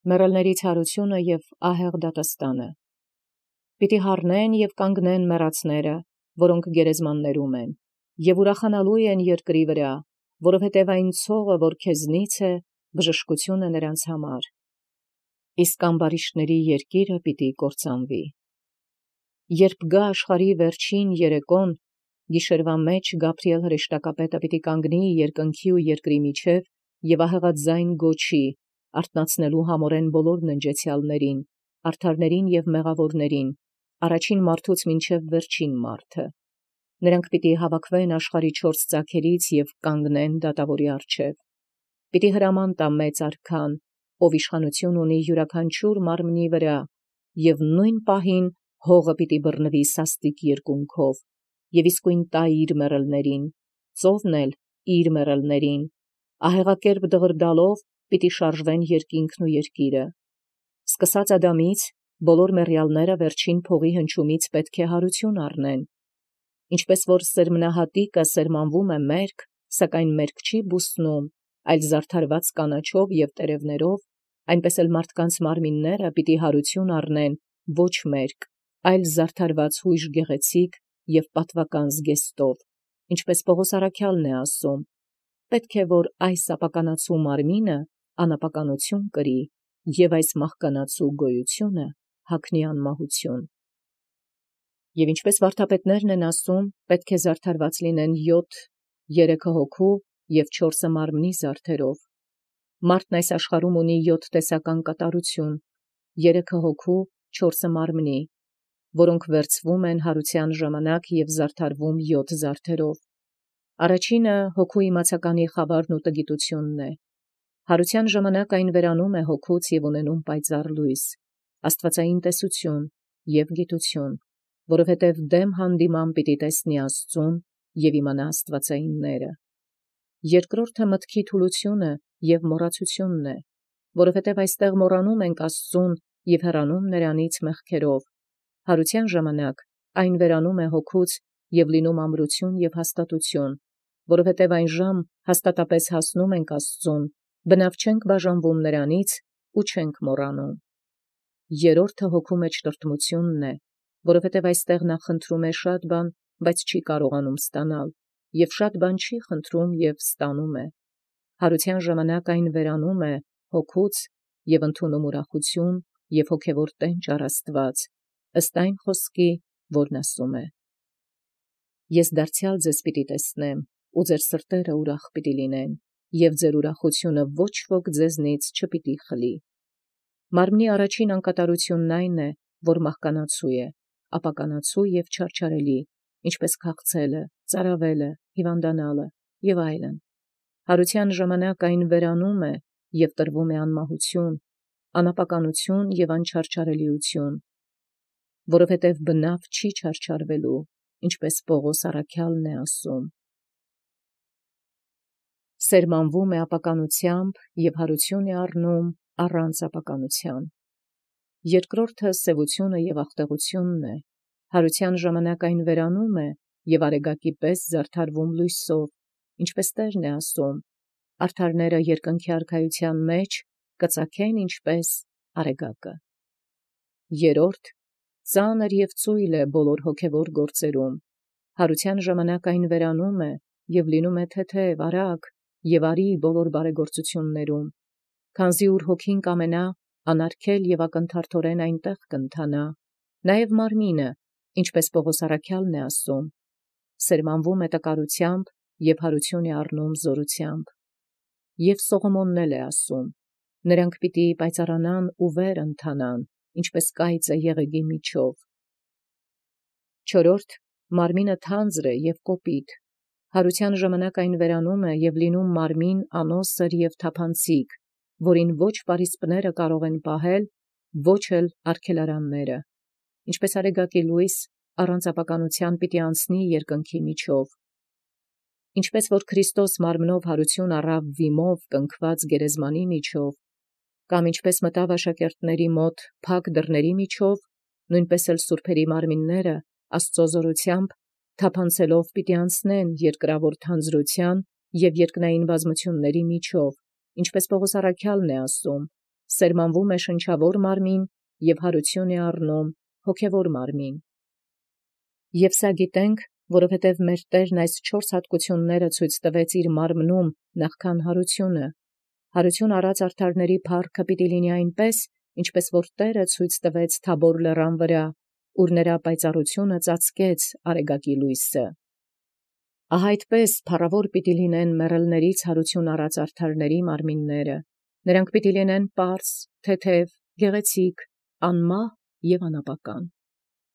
մեռելների ցարությունը և ահեղ դատաստանը։ Պիտի հառնեն և կանգնեն մեռածները, որոնք գերեզմաններում են, և ուրախանալու են երկրի վրա, որովհետև այն ցողը, որ քեզնից է, բժշկություն է նրանց համար։ Իսկ ամբարիշտների երկիրը պիտի կործանվի։ Երբ գա աշխարհի վերջին երեկոն, գիշերվա մեջ Գաբրիել հրեշտակապետը պիտի կանգնի երկնքի ու երկրի միջև և ահեղաձայն գոչի, արթնացնելու համորեն բոլոր ննջեցյալներին, արդարներին և մեղավորներին, առաջին մարդուց մինչև վերջին մարդը։ Նրանք պիտի հավաքվեն աշխարհի 4 ծագերից և կանգնեն դատավորի առջև։ Պիտի հրաման տա մեծ արքան, ով իշխանություն ունի յուրաքանչյուր մարմնի վրա, և նույն պահին հողը պիտի բռնվի սաստիկ երկունքով, և իսկույն տա իր մեռելներին, ծովն էլ իր մեռելներին, ահեղակերպ դղրդալով պիտի շարժվեն երկինքն ու երկիրը։ Սկսած Ադամից, բոլոր մեռյալները վերջին փողի հնչումից պետք է հարություն առնեն։ Ինչպես որ սերմնահատիկը սերմանվում է մերկ, սակայն մերկ չի բուսնում, այլ զարդարված կանաչով և տերևներով, այնպես էլ մարդկանց մարմինները պիտի հարություն առնեն ոչ մերկ, այլ զարդարված հույժ գեղեցիկ և պատվական զգեստով, ինչպես Պողոս առաքյալն է ասում. պետք է որ այս ապականացու մարմինը անապականություն կրի, և այս մահկանացու գոյությունը հագնի անմահություն։ Եվ ինչպես վարդապետներն են ասում, պետք է զարդարված լինեն 7 երեքը հոգու և 4 մարմնի զարդերով։ Մարդն այս աշխարհում ունի 7 տեսական կատարություն, 3 հոգու, 4 մարմնի, որոնք վերցվում են հարության ժամանակ և զարդարվում 7 զարդերով։ Առաջինը հոգու իմացականի խավարն ու տգիտությունն է։ Հարության ժամանակ այն վերանում է հոգուց և ունենում պայծառ լույս, աստվածային տեսություն և գիտություն, որովհետև դեմ հանդիման պիտի տեսնի Աստծուն և իմանա աստվածայինները։ Երկրորդը մտքի թուլությունը և մոռացությունն է, որովհետև այստեղ մոռանում ենք Աստծուն և հեռանում նրանից մեղքերով։ Հարության ժամանակ այն վերանում է հոգուց և լինում ամրություն և հաստատություն, որովհետև այն ժամ հաստատապես հասնում ենք Աստծուն, բնավ չենք բաժանվում նրանից ու չենք մոռանում։ Երրորդը հոգու մեջ տրտմությունն է, որովհետև այստեղ նա խնդրում է շատ բան, բայց չի կարողանում ստանալ, և շատ բան չի խնդրում և ստանում է։ Հարության ժամանակ այն վերանում է հոգուց և ընդունում ուրախություն և հոգևոր տենչ առ Աստված, ըստ այն խոսքի, որն ասում է. «Ես դարձյալ ձեզ պիտի տեսնեմ, ու ձեր սրտերը ուրախ պիտի լինեն, և ձեր ուրախությունը ոչ ոք ձեզնից չպիտի խլի»։ Մարմնի առաջին անկատարությունն այն է, որ մահկանացու է, ապականացու և չարչարելի, ինչպես քաղցելը, ծարավելը, հիվանդանալը և այլն։ Հարության ժամանակ այն վերանում է և տրվում է անմահություն, անապականություն և անչարչարելիություն, որովհետև բնավ չի չարչարվելու, ինչպես Պողոս առաքյալն է ասում. սերմանվում է ապականությամբ և հարություն է առնում առանց ապականության։ Երկրորդը սևությունը և աղտեղությունն է։ Հարության ժամանակ այն վերանում է և արեգակի պես զարդարվում լույսով, ինչպես Տերն է ասում. արդարները երկնքի արքայության մեջ կծագեն ինչպես արեգակը։ Երրորդ, ծանր և ծույլ է բոլոր հոգևոր գործերում։ Հարության ժամանակ այն վերանում է և լինում է թեթև, արագ և արի բոլոր բարեգործություններում, քանզի ուր հոգին կամենա, անարգել և ակնթարթորեն այնտեղ կընթանա, նաև մարմինը, ինչպես Պողոս առաքյալն է ասում. սերմանվում է տկարությամբ և հարություն է առնում զորությամբ։ Եվ Սողոմոնն էլ է ասում. նրանք պիտի պայծառանան ու վեր ընթանան, ինչպես կայծը եղեգի միջով։ Չորրորդ, մարմինը թանձր է և կոպիտ։ Հարության ժամանակ այն վերանում է և լինում մարմին անոսր և թափանցիկ, որին ոչ պարիսպները կարող են պահել, ոչ էլ արգելարանները, ինչպես արեգակի լույս առանց ապականության պիտի անցնի երկնքի միջով։ Ինչպես որ Քրիստոս մարմնով հարություն առավ վիմով կնքված գերեզմանի միջով, կամ ինչպես մտավ աշակերտների մոտ փակ դռների միջով, նույնպես էլ սուրբերի մարմինները Աստծո զորությամբ թափանցելով պիտի անցնեն երկրավոր թանձրության և երկնային բազմությունների միջով, ինչպես Պողոս առաքյալն է ասում. սերմանվում է շնչավոր մարմին և հարություն է առնում հոգևոր մարմին։ Եվ սա գիտենք, որովհետև մեր Տերն այս 4 հատկությունները ցույց տվեց իր մարմնում նախքան հարությունը։ Հարություն առած արդարների փառքը պիտի լինի այնպես, ինչպես որ Տերը ցույց տվեց Թաբոր լեռան վրա, ուր նրա պայծառությունը ծածկեց արեգակի լույսը։ Ահա այդպես փառավոր պիտի լինեն մեռելներից հարություն առած արդարների մարմինները։ Նրանք պիտի լինեն պարզ, թեթև, գեղեցիկ, անմահ և անապական։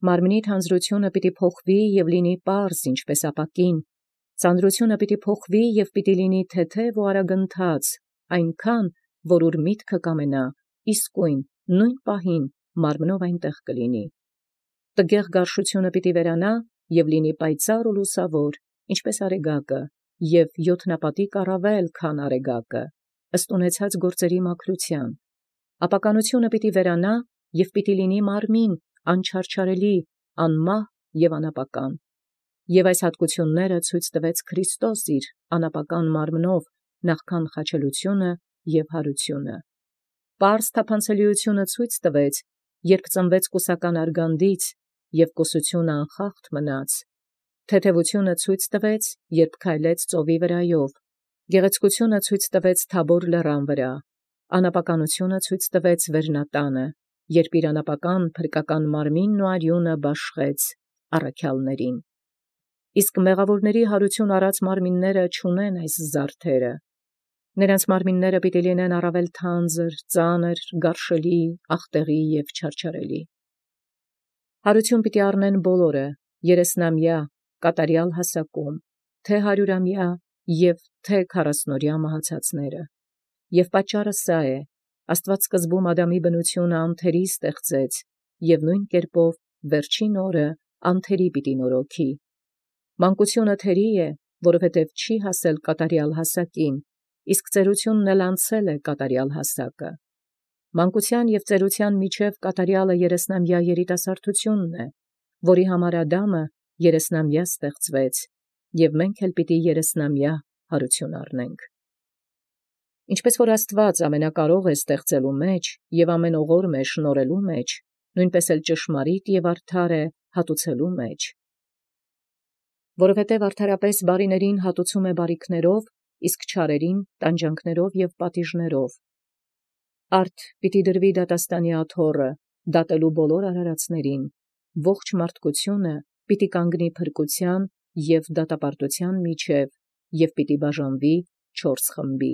Մարմնի թանձրությունը պիտի փոխվի և լինի պարզ, ինչպես ապակին, ծանրությունը պիտի փոխվի և պիտի լինի թեթև ու արագընթաց, այնքան, որ ուր միտքը կամենա, իսկույն նույն պահին մարմնով այնտեղ կլինի։ Տգեղ գարշությունը պիտի վերանա և լինի պայծառ ու լուսավոր, ինչպես արեգակը, և յոթնապատիկ առավել, քան արեգակը, ըստ ունեցած գործերի մաքրության։ Ապականությունը պիտի վերանա և պիտի լինի մարմին, անչարչարելի, անմահ և անապական։ Եվ այս հատկությունները ցույց տվեց Քրիստոս իր անապական մարմնով նախքան խաչելությունը և հարությունը։ Պարզ թափանցելիությունը ցույց տվեց, երբ ծնվեց կուսական արգանդից, և կուսությունը անխախտ մնաց։ Թեթևությունը ցույց տվեց, երբ քայլեց ծովի վրայով։ Գեղեցկությունը ցույց տվեց Թաբոր լեռան վրա։ Անապականությունը ցույց տվեց Վերնատանը, երբ իր անապական փրկական մարմինն ու արյունը բաշխեց առաքյալներին։ Իսկ մեղավորների հարություն առած մարմինները չունեն այս զարդերը։ Նրանց մարմինները պիտի լինեն առավել թանձր, ծանր, գարշելի, աղտեղի և չարչարելի։ Հարություն պիտի առնեն բոլորը, 30-ամյա, կատարյալ հասակում, թե 100-ամյա և թե 40-օրյա մահացածները։ Եվ պատճառը սա է. Աստված սկզբում Ադամի բնությունը անթերի ստեղծեց, և նույն կերպով վերջին օրը անթերի պիտի նորոգի։ Մանկությունը թերի է, որովհետև չի հասել կատարյալ հասակին, իսկ ծերությունն էլ անցել է կատարյալ հասակը։ Մանկության և ծերության միջև կատարյալը 30-ամյա երիտասարդությունն է, որի համար Ադամը 30-ամյա ստեղծվեց, և մենք էլ պիտի 30-ամյա հարություն առնենք։ Ինչպես որ Աստված ամենակարող է ստեղծելու մեջ և ամեն օղորմ է շնորհելու մեջ, նույնպես էլ ճշմարիտ և արդար է հատուցելու մեջ։ Որովհետև արդարապես բարիներին հատուցում է բարիքներով, իսկ չարերին տանջանքներով և պատիժներով։ Արդ պիտի դրվի դատաստանի աթոռը, դատելու բոլոր արարածներին, ողջ մարդկությունը պիտի կանգնի փրկության և դատապարտության միջև և պիտի բաժանվի 4 խմբի։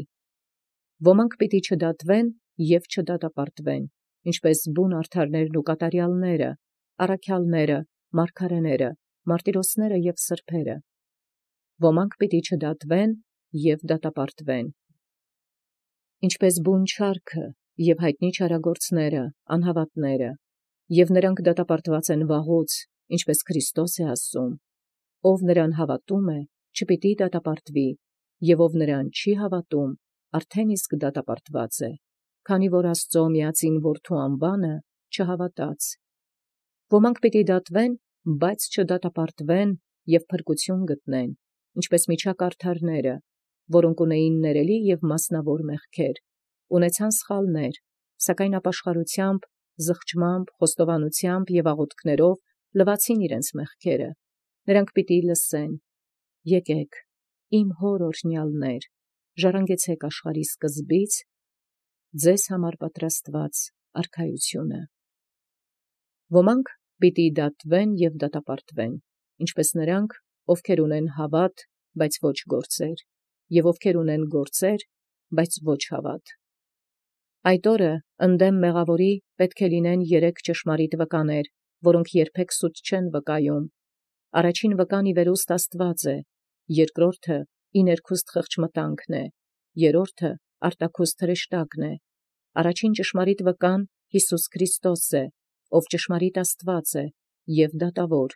Ոմանք պիտի չդատվեն և չդատապարտվեն, ինչպես բուն արդարներն ու կատարյալները, առաքյալները, մարգարեները, մարտիրոսները և սրբերը։ Ոմանք պիտի չդատվեն և դատապարտվեն, ինչպես բուն չարքը և հայտնի չարագործները, անհավատները, և նրանք դատապարտված են վաղուց, ինչպես Քրիստոս է ասում. ով նրան հավատում է, չպիտի դատապարտվի, և ով նրան չի հավատում, արդեն իսկ դատապարտված է, քանի որ Աստծո միածին Որդու անվանը չհավատաց։ Ոմանք պիտի դատվեն, բայց չդատապարտվեն և փրկություն գտնեն, ինչպես միջակարդարները, որոնք ունեին ներելի և մասնավոր մեղքեր, ունեցան սխալներ, սակայն ապաշխարությամբ, զղջմամբ, խոստովանությամբ և աղոթքներով լվացին իրենց մեղքերը։ Նրանք պիտի լսեն. «Եկեք, իմ հոր օրհնյալներ, ժառանգեցեք աշխարհի սկզբից ձեզ համար պատրաստված արքայությունը»։ Ոմանք պիտի դատվեն և դատապարտվեն, ինչպես նրանք, ովքեր ունեն հավատ, բայց ոչ գործեր, և ովքեր ունեն գործեր, բայց ոչ հավատ։ Այդ օրը ընդդեմ մեղավորի պետք է լինեն 3 ճշմարիտ վկաներ, որոնք երբեք սուտ չեն վկայում։ Առաջին վկան ի վերուստ Աստված է, երկրորդը ի ներքուստ խղճմտանքն է, երրորդը արտաքուստ հրեշտակն է։ Առաջին ճշմարիտ վկան Հիսուս Քրիստոս է, ով ճշմարիտ Աստված է և դատավոր,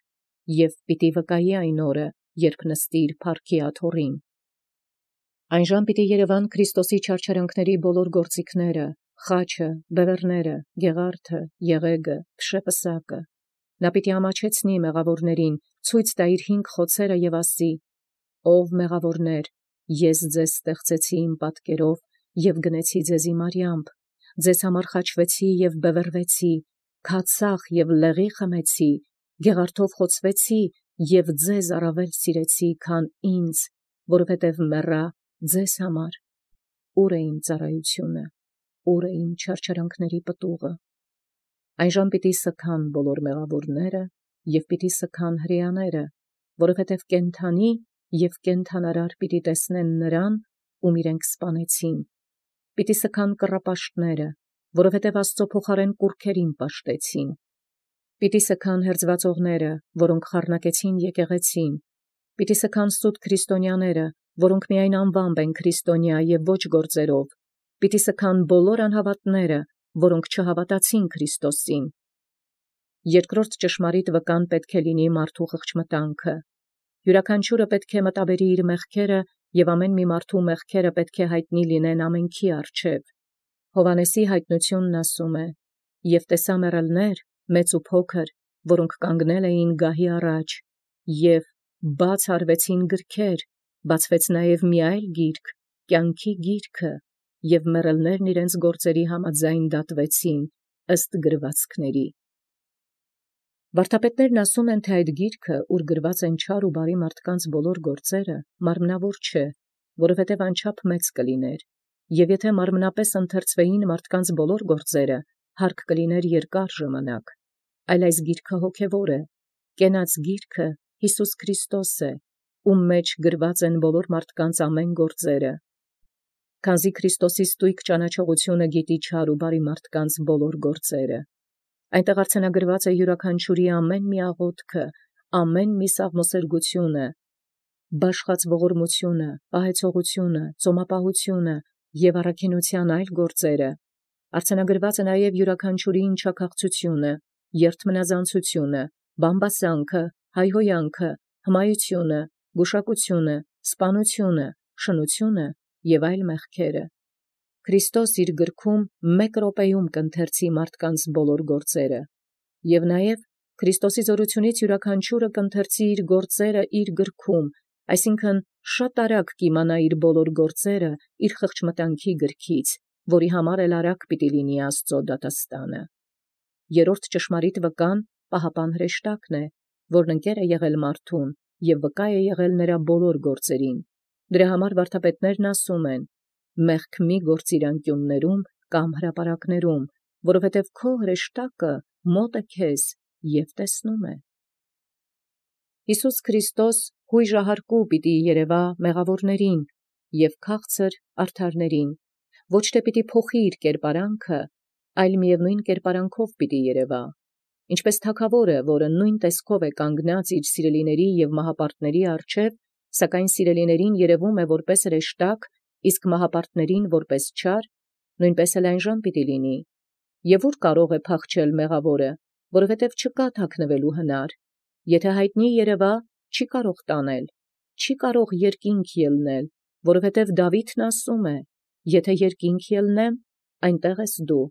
և պիտի վկայի այն օրը, երբ նստի իր փառքի աթոռին։ Այն ժամ պիտի երևան Քրիստոսի չարչարանքների բոլոր գործիքները, խաչը, բևեռները, գեղարդը, եղեգը, փշեպսակը։ Նա պիտի ամաչեցնի մեղավորներին, ցույց տա իր 5 խոցերը և ասի. «Ով մեղավորներ, ես ձեզ ստեղծեցի իմ պատկերով և գնեցի ձեզի մարյամբ, ձեզ համար խաչվեցի և բևեռվեցի, քացախ և լեղի խմեցի, գեղարդով խոցվեցի և ձեզ առավել սիրեցի, քան ինձ, որովհետև մեռա ձեզ համար։ Ուր է իմ ծառայությունը, ուր է իմ չարչարանքների պտուղը։ Այնժամ պիտի սգան բոլոր մեղավորները և պիտի սգան հրեաները, որովհետև կենդանի և կենդանարար պիտի տեսնեն նրան, ում իրենք սպանեցին։ Պիտի սգան կռապաշտները, որովհետև Աստծո փոխարեն կուռքերին պաշտեցին։ Պիտի սգան հերձվածողները, որոնք խառնակեցին եկեղեցին։ Պիտի սգան սուտ քրիստոնյաները, որոնք միայն անվամբ են քրիստոնյա և ոչ գործերով։ Պիտի սգան բոլոր անհավատները, որոնք չհավատացին Քրիստոսին։ Երկրորդ ճշմարիտ վկան պետք է լինի մարդու խղճմտանքը։ Յուրաքանչյուրը պետք է մտաբերի իր մեղքերը, և ամեն մի մարդու մեղքերը պետք է հայտնի լինեն ամենքի առջև։ Հովհաննեսի հայտնությունն ասում է. «Եվ տեսա մեռելներ, մեծ ու փոքր, որոնք կանգնել էին գահի առաջ, և բաց արվեցին գրքեր, բացվեց նաև մի այլ գիրք, կյանքի գիրքը, և մեռելներն իրենց գործերի համաձայն դատվեցին ըստ գրվածքների»։ Վարդապետներն ասում են, թե այդ գիրքը, ուր գրված են չար ու բարի մարդկանց բոլոր գործերը, մարմնավոր չէ, որովհետև անչափ մեծ կլիներ, և եթե մարմնապես ընթերցվեին մարդկանց բոլոր գործերը, հարկ կլիներ երկար ժամանակ, այլ այս գիրքը հոգևոր է, կենաց գիրքը Հիսուս Քրիստոս է, ում մեջ գրված են բոլոր մարդկանց ամեն գործերը։ Քանզի Քրիստոսի ստույգ ճանաչողությունը գիտի չար ու բարի մարդկանց բոլոր գործերը։ Այնտեղ արձանագրված է յուրաքանչյուրի ամեն մի աղոթքը, ամեն մի սաղմոսերգությունը, բաշխած ողորմությունը, պահեցողությունը, ծոմապահությունը և առաքինության այլ գործերը։ Արձանագրված է նաև յուրաքանչյուրի ինչաքաղցությունը, երդմնազանցությունը, բամբասանքը, հայհոյանքը, հմայությունը, գուշակությունը, սպանությունը, շնությունը և այլ մեղքերը։ Քրիստոս իր գրքում մեկ րոպեում կընթերցի մարդկանց բոլոր գործերը, և նաև Քրիստոսի զորությունից յուրաքանչյուրը կընթերցի իր գործերը իր գրքում, այսինքն շատ արագ կիմանա իր բոլոր գործերը իր խղճմտանքի գրքից, որի համար էլ արագ պիտի լինի Աստծո դատաստանը։ Երրորդ ճշմարիտ վկան պահապան հրեշտակն է, որն ընկեր է եղել մարդուն և վկա է եղել նրա բոլոր գործերին։ Դրա համար վարդապետներն ասում են. «Մեղք մի գործիր անկյուններում կամ հրապարակներում, որովհետև քո հրեշտակը մոտ է քեզ և տեսնում է»։ Հիսուս Քրիստոս հույժահարկու պիտի երևա մեղավորներին և քաղցր արդարներին, ոչ թե պիտի փոխի իր կերպարանքը, այլ միևնույն կերպարանքով պիտի երևա, ինչպես թագավորը, որը նույն տեսքով է կանգնած իր սիրելիների և մահապարտների առջև, սակայն սիրելիներին երևում է որպես հրեշտակ, իսկ մահապարտներին որպես չար, նույնպես էլ այնժամ պիտի լինի։ Եվ ուր կարող է փախչել մեղավորը, որովհետև չկա թաքնվելու հնար։ Եթե հայտնի երևա, չի կարող տանել, չի կարող երկինք ելնել, որովհետև Դավիթն ասում է. «Եթե երկինք ելնեմ, այնտեղ ես դու,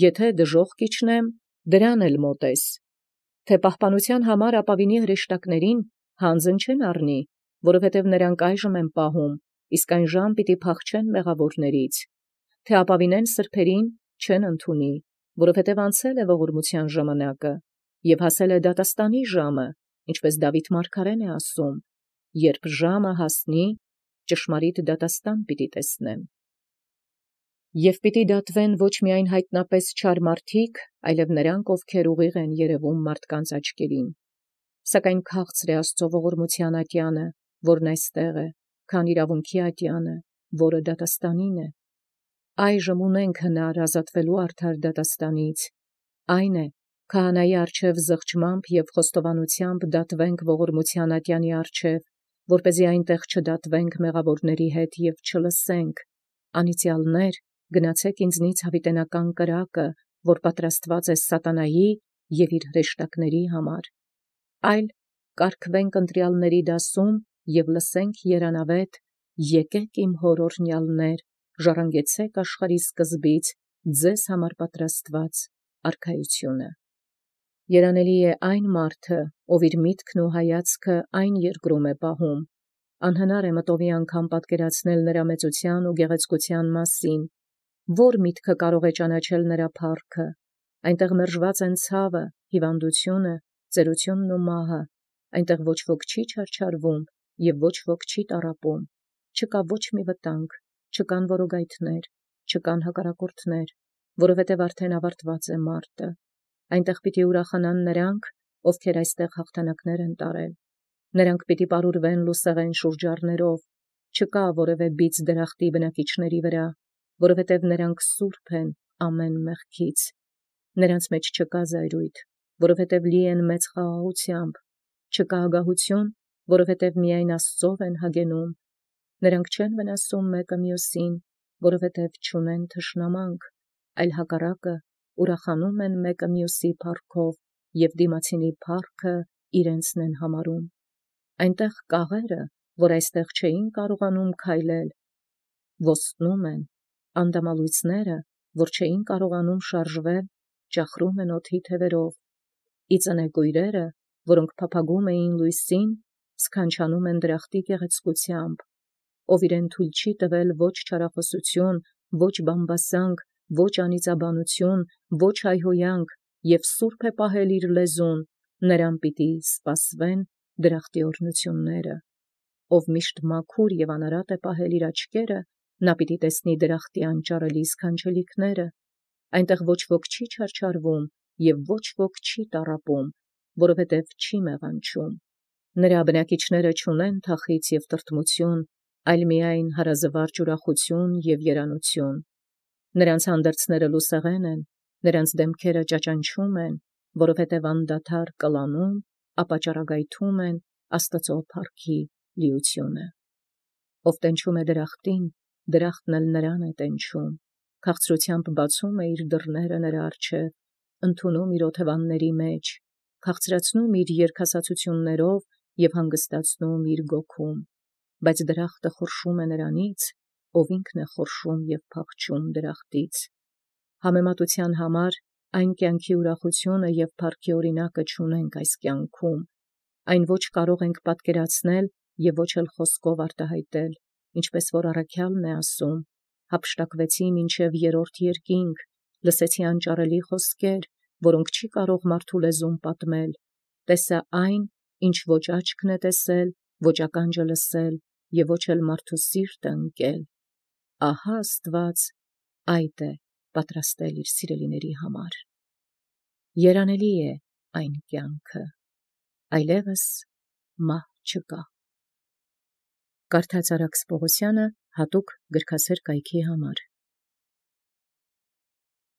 եթե դժոխք իջնեմ, դրան էլ մոտ ես»։ Թե պահպանության համար ապավինի հրեշտակներին հանձն չեն առնի, որովհետև նրանք այժմ են պահում, իսկ այնժամ պիտի փախչեն մեղավորներից։ Թե ապավինեն սրբերին չեն ընդունի, որովհետև անցել է ողորմության ժամանակը և հասել է դատաստանի ժամը, ինչպես Դավիթ մարգարեն է ասում. «Երբ ժամը հասնի, ճշմարիտ դատաստան պիտի տեսնեմ»։ Եվ պիտի դատվեն ոչ միայն հայտնապես չար մարդիկ, այլև նրանք, ովքեր ուղիղ են երևում մարդկանց աչքերին։ Սակայն քաղցր է Աստծո ողորմության ատյանը, որն այստեղ է, քան իրավունքի ատյանը, որը դատաստանին է։ Այժմ ունենք հնար ազատվելու արդար դատաստանից, այն է, քահանայի առջև զղջմամբ և խոստովանությամբ դատվենք ողորմության ատյանի առջև, որպեսզի այնտեղ չդատվենք մեղավորների հետ և չլսենք. «Անիծյալներ, գնացեք ինձնից հավիտենական կրակը, որ պատրաստված է սատանայի և իր հրեշտակների համար», այլ կարգվենք ընտրյալների դասում և լսենք երանավետ. «Եկեք իմ հոր օրհնյալներ, ժառանգեցեք աշխարհի սկզբից ձեզ համար պատրաստված արքայությունը»։ Երանելի է այն մարդը, ով իր միտքն ու հայացքը այն երկրում է պահում, անհնար է մտովի անգամ պատկերացնել նրա մեծության ու գեղեցկության մասին, Որ միտքը կարող է ճանաչել նրա փառքը, այնտեղ մերժված են ցավը, հիվանդությունը, ծերությունն ու մահը, այնտեղ ոչ ոք չի չարչարվում և ոչ ոք չի տառապում, չկա ոչ մի վտանգ, չկան որոգայթներ, չկան հակառակորդներ, որովհետև արդեն ավարտված է մարտը, այնտեղ պիտի ուրախանան նրանք, ովքեր այստեղ հաղթանակներ են տարել, նրանք պիտի պարուրվեն լուսեղեն շուրջառներով, չկա որևէ բիծ դրախտի բնակիչների վրա, որովհետև նրանք սուրբ են ամեն մեղքից, նրանց մեջ չկա զայրույթ, որովհետև լի են մեծ խաղաղությամբ, չկա ագահություն, որովհետև միայն Աստծով են հագենում, նրանք չեն վնասում մեկը մյուսին, որովհետև չունեն թշնամանք, այլ հակառակը ուրախանում են մեկը մյուսի փառքով և դիմացինի փառքը իրենցն են համարում, այնտեղ կաղերը, որ այստեղ չէին կարողանում քայլել, ոստնում են, անդամալույցները, որ չէին կարողանում շարժվել, ճախրում են օդի թևերով, իծնեկույրերը, որոնք փափագում էին լույսին, սքանչանում են դրախտի գեղեցկությամբ, ով իրեն թույլ չի տվել ոչ չարախոսություն, ոչ բամբասանք, ոչ անիծաբանություն, ոչ հայհոյանք, և սուրբ է պահել իր լեզուն, նրան պիտի սպասվեն դրախտի օրհնությունները, ով միշտ մաքուր և անարատ է պահել իր աչքերը, նա պիտի տեսնի դրախտի անճարելի սքանչելիքները, այնտեղ ոչ ոք չի չարչարվում և ոչ ոք չի տառապում, որովհետև չի մեղանչում, նրա բնակիչները չունեն թախիծ և տրտմություն, այլ միայն հարազվարճ ուրախություն և երանություն, նրանց հանդերձները լուսեղեն են, նրանց դեմքերը ճաճանչում են, որովհետև անդադար կլանում, ապա ճառագայթում են Աստծո փառքի լիությունը, ով տենչում է դրախտին, դրախտն էլ նրան է տենչում, քաղցրությամբ բացում է իր դռները նրա առջև, ընդունում իր օթևանների մեջ, քաղցրացնում իր երգասացություններով և հանգստացնում իր գոքում, բայց դրախտը խորշում է նրանից, ով ինքն է խորշում և փախչում դրախտից, համեմատության համար այն կյանքի ուրախությունը և փառքի օրինակը չունենք այս կյանքում, այն ոչ կարող ենք պատկերացնել և ոչ էլ խոսքով արտահայտել, ինչպես որ առաքյալն է ասում, հափշտակվեցի մինչև երրորդ երկինք, լսեցի անճարելի խոսքեր, որոնք չի կարող մարդու լեզուն պատմել, տեսա այն, ինչ ոչ աչքն է տեսել, ոչ ականջը լսել և ոչ էլ մարդու սիրտը ընկել, ահա Աստված այդ է պատրաստել իր սիրելիների համար, երանելի է այն կյանքը, այլևս մահ չկա։ Կարդաց Արաքս Պողոսյանը հատուկ գրքասեր կայքի համար։